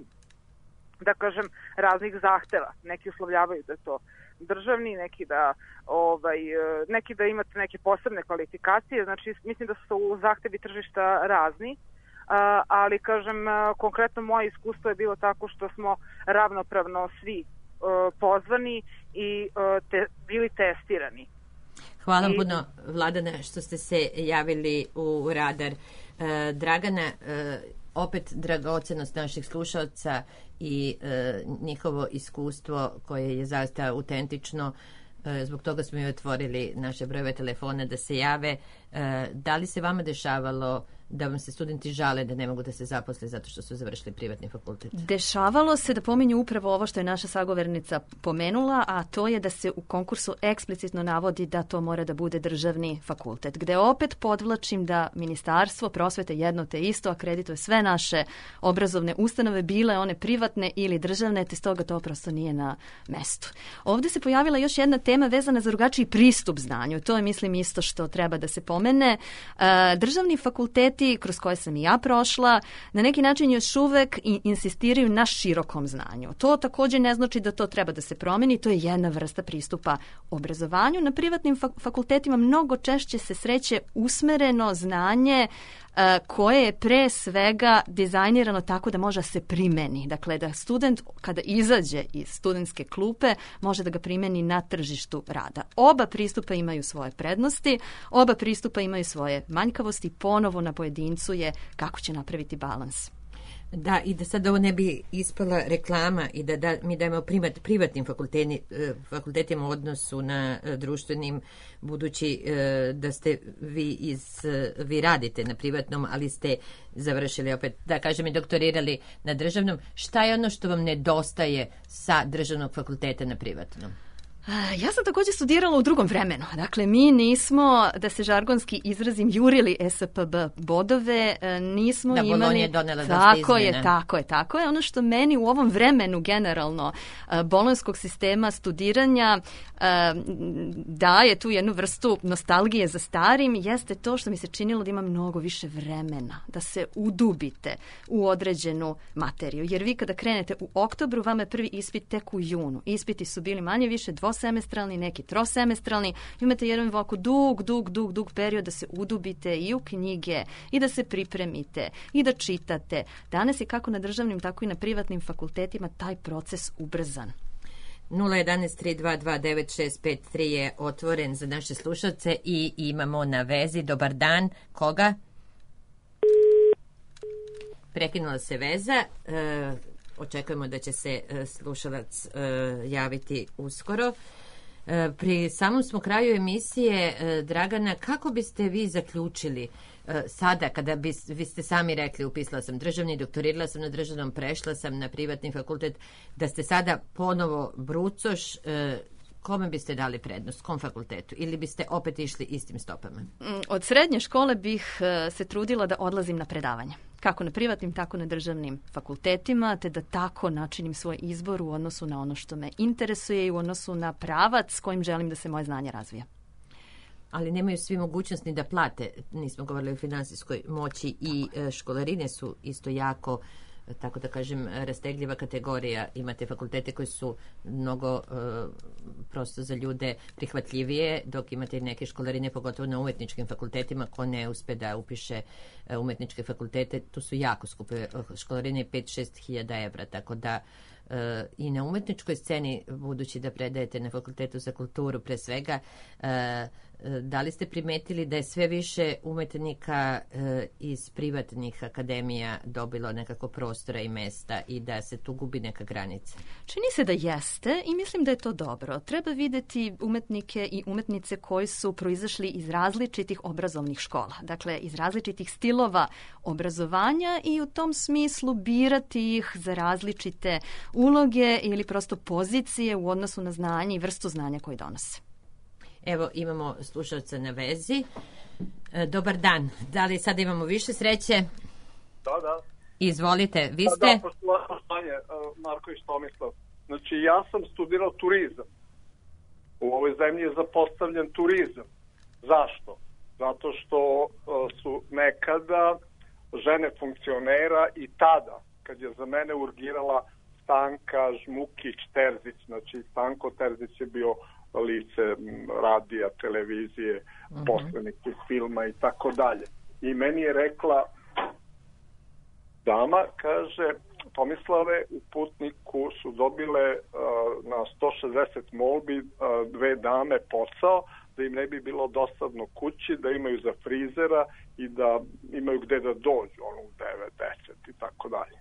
da kažem, raznih zahteva. Neki uslovljavaju da je to državni, neki da, ovaj, neki da imate neke posebne kvalifikacije, znači mislim da su zahtevi tržišta razni. Uh, ali, kažem, uh, konkretno moje iskustvo je bilo tako što smo ravnopravno svi uh, pozvani i uh, te, bili testirani. Hvala I... puno, Vladana, što ste se javili u Radar. Uh, Dragana, uh, opet dragocenost naših slušalca i uh, njihovo iskustvo koje je zaista autentično. Uh, zbog toga smo i otvorili naše brojeve telefona da se jave. Uh, da li se vama dešavalo da vam se studenti žale da ne mogu da se zaposle zato što su završili privatni fakultet? Dešavalo se da pominju upravo ovo što je naša sagovornica pomenula, a to je da se u konkursu eksplicitno navodi da to mora da bude državni fakultet, gde opet podvlačim da Ministarstvo prosvete jedno te isto akredituje sve naše obrazovne ustanove, bile one privatne ili državne, te stoga to prosto nije na mestu. Ovde se pojavila još jedna tema vezana za drugačiji pristup znanju. To je, mislim, isto što treba da se pomene. Državni fakultet kroz koje sam i ja prošla, na neki način još uvek insistiraju na širokom znanju. To također ne znači da to treba da se promeni, to je jedna vrsta pristupa obrazovanju. Na privatnim fakultetima mnogo češće se sreće usmereno znanje koje je pre svega dizajnirano tako da može se primeni. Dakle, da student kada izađe iz studentske klupe može da ga primeni na tržištu rada. Oba pristupa imaju svoje prednosti, oba pristupa imaju svoje manjkavosti, ponovo na pojedincu je kako će napraviti balans. Da, i da sad ovo ne bi ispala reklama i da, da mi dajemo primat, privatnim fakultetima u odnosu na društvenim, budući da ste vi iz, vi radite na privatnom, ali ste završili opet, da kažem, i doktorirali na državnom. Šta je ono što vam nedostaje sa državnog fakulteta na privatnom? Ja sam također studirala u drugom vremenu. Dakle, mi nismo, da se žargonski izrazim, jurili S P B bodove, nismo da, imali... Da, Bolonja je donela dosta tako izmjena. Je, tako je, tako je. Ono što meni u ovom vremenu generalno bolonjskog sistema studiranja daje tu jednu vrstu nostalgije za starim, jeste to što mi se činilo da ima mnogo više vremena, da se udubite u određenu materiju. Jer vi kada krenete u oktobru, vama je prvi ispit tek u junu. Ispiti su bili manje više dvosemestralni, neki trosemestralni. Imate jedan ovako dug, dug, dug, dug period da se udubite i u knjige i da se pripremite i da čitate. Danas je kako na državnim, tako i na privatnim fakultetima taj proces ubrzan. nula jedan tri dva dva devet šest pet tri je otvoren za naše slušalce i imamo na vezi. Dobar dan. Koga? Prekinula se veza. E, očekujemo da će se slušalac e, javiti uskoro. E, pri samom smo kraju emisije, e, Dragana, kako biste vi zaključili e, sada, kada bi, vi ste sami rekli, upisala sam državni, doktorirala sam na državnom, prešla sam na privatni fakultet, da ste sada ponovo brucoš, e, kome biste dali prednost, kom fakultetu, ili biste opet išli istim stopama? Od srednje škole bih se trudila da odlazim na predavanje. Kako na privatnim, tako na državnim fakultetima, te da tako načinim svoj izbor u odnosu na ono što me interesuje i u odnosu na pravac s kojim želim da se moje znanje razvija. Ali nemaju svi mogućnost ni da plate. Nismo govorili o finansijskoj moći i školarine su isto jako, tako da kažem, rastegljiva kategorija. Imate fakultete koji su mnogo uh, prosto za ljude prihvatljivije, dok imate neke školarine, pogotovo na umetničkim fakultetima, ko ne uspe da upiše uh, umetničke fakultete, tu su jako skupe školarine, pet do šest hiljada evra, tako da uh, i na umetničkoj sceni, budući da predajete na Fakultetu za kulturu pre svega, uh, da li ste primetili da je sve više umetnika e, iz privatnih akademija dobilo nekako prostora i mesta i da se tu gubi neka granica? Čini se da jeste i mislim da je to dobro. Treba videti umetnike i umetnice koji su proizašli iz različitih obrazovnih škola, dakle iz različitih stilova obrazovanja i u tom smislu birati ih za različite uloge ili prosto pozicije u odnosu na znanje i vrstu znanja koje donose. Evo, imamo slušalca na vezi. E, dobar dan. Da li sada imamo više sreće? Da, da. Izvolite, vi ste? Da, da, poštovanje, Marković Tomislav. Znači, ja sam studirao turizam. U ovoj zemlji je zapostavljen turizam. Zašto? Zato što su nekada žene funkcionera i tada, kad je za mene urgirala Stanka Žmukić-Terzić, znači Stanko Terzić je bio lice radija, televizije, uh-huh. poslenike filma i tako dalje. I meni je rekla dama, kaže, Tomislave, u Putniku su dobile uh, na sto šezdeset molbi uh, dve dame posao, da im ne bi bilo dosadno kući, da imaju za frizera i da imaju gde da dođu, ono u devet, deset i tako dalje.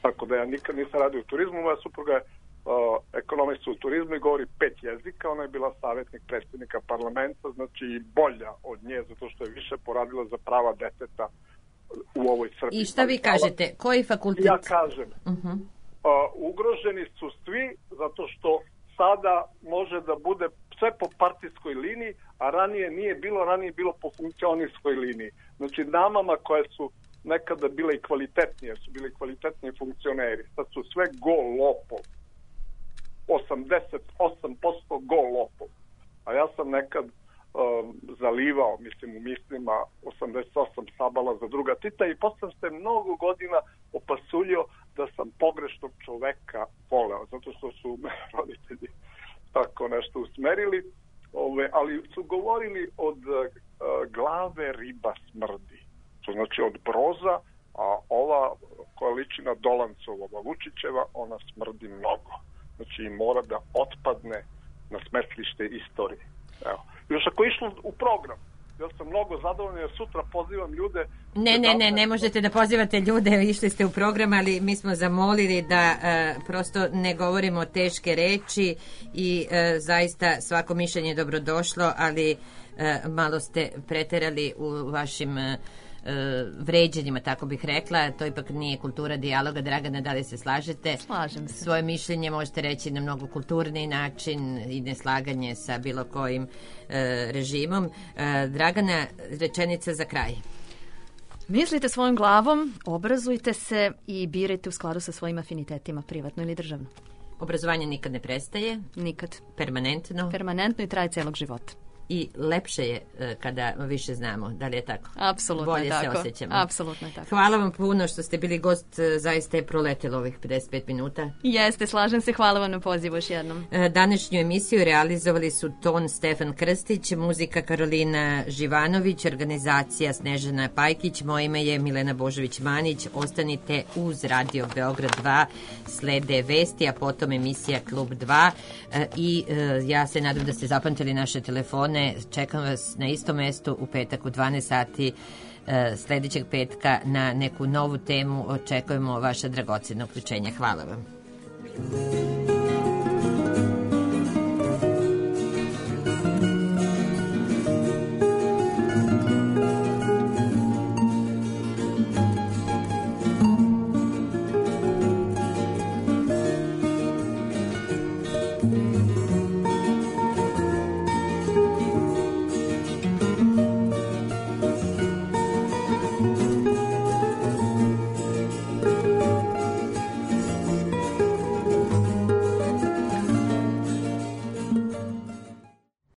Tako da ja nikad nisam radio u turizmu, moja supruga je Uh, ekonomista u turizmu i govori pet jezika, ona je bila savjetnik predsjednika parlamenta, znači i bolja od nje, zato što je više poradila za prava deteta u ovoj Srbiji. I šta vi kažete? Koji fakultet? Ja kažem, uh-huh. uh, ugroženi su svi, zato što sada može da bude sve po partijskoj liniji, a ranije nije bilo, ranije je bilo po funkcionijskoj liniji. Znači damama koje su nekada bile i kvalitetnije, su bili kvalitetniji funkcioneri, sad su sve go lopov. osamdeset osam posto go lopov. A ja sam nekad um, zalivao, mislim, u mislima osamdeset osam sabala za druga tita i posle se mnogo godina opasuljio da sam pogrešnog čoveka voleo, zato što su me roditelji tako nešto usmerili, ove, ali su govorili od uh, glave riba smrdi. To znači od Broza, a ova koja liči na Dolancova, Vučićeva, ona smrdi mnogo. Znači mora da otpadne na smetlište istorije. Evo. Još ako je išlo u program, ja sam mnogo zadovoljan jer sutra pozivam ljude... Ne, ne, ne, ne možete da pozivate ljude, išli ste u program, ali mi smo zamolili da uh, prosto ne govorimo teške reči i uh, zaista svako mišljenje je dobrodošlo, ali uh, malo ste preterali u vašim... Uh, vređenjima, tako bih rekla. To ipak nije kultura dijaloga. Dragana, da li se slažete? Slažem se. Svoje mišljenje možete reći na mnogo kulturniji način i neslaganje sa bilo kojim e, režimom. E, Dragana, rečenica za kraj. Mislite svojom glavom, obrazujte se i birajte u skladu sa svojim afinitetima, privatno ili državno. Obrazovanje nikad ne prestaje? Nikad. Permanentno? Permanentno i traje celog života. I lepše je kada više znamo, da li je tako? Apsolutno Bolje je tako. se osjećamo. Apsolutno je tako. Hvala vam puno što ste bili gost, zaista je proletelo ovih pedeset pet minuta. Jeste, slažem se, hvala vam na pozivu još jednom. Današnju emisiju realizovali su ton Stefan Krstić, muzika Karolina Živanović, organizacija Snežana Pajkić, moje ime je Milena Božović-Manić, ostanite uz Radio Beograd dva, slede vesti, a potom emisija Klub dva i ja se nadam da ste zapamtili naše telefone. Čekam vas na istom mestu u petak u dvanaest sati sljedećeg petka na neku novu temu. Očekujemo vaša dragocena uključenja. Hvala vam.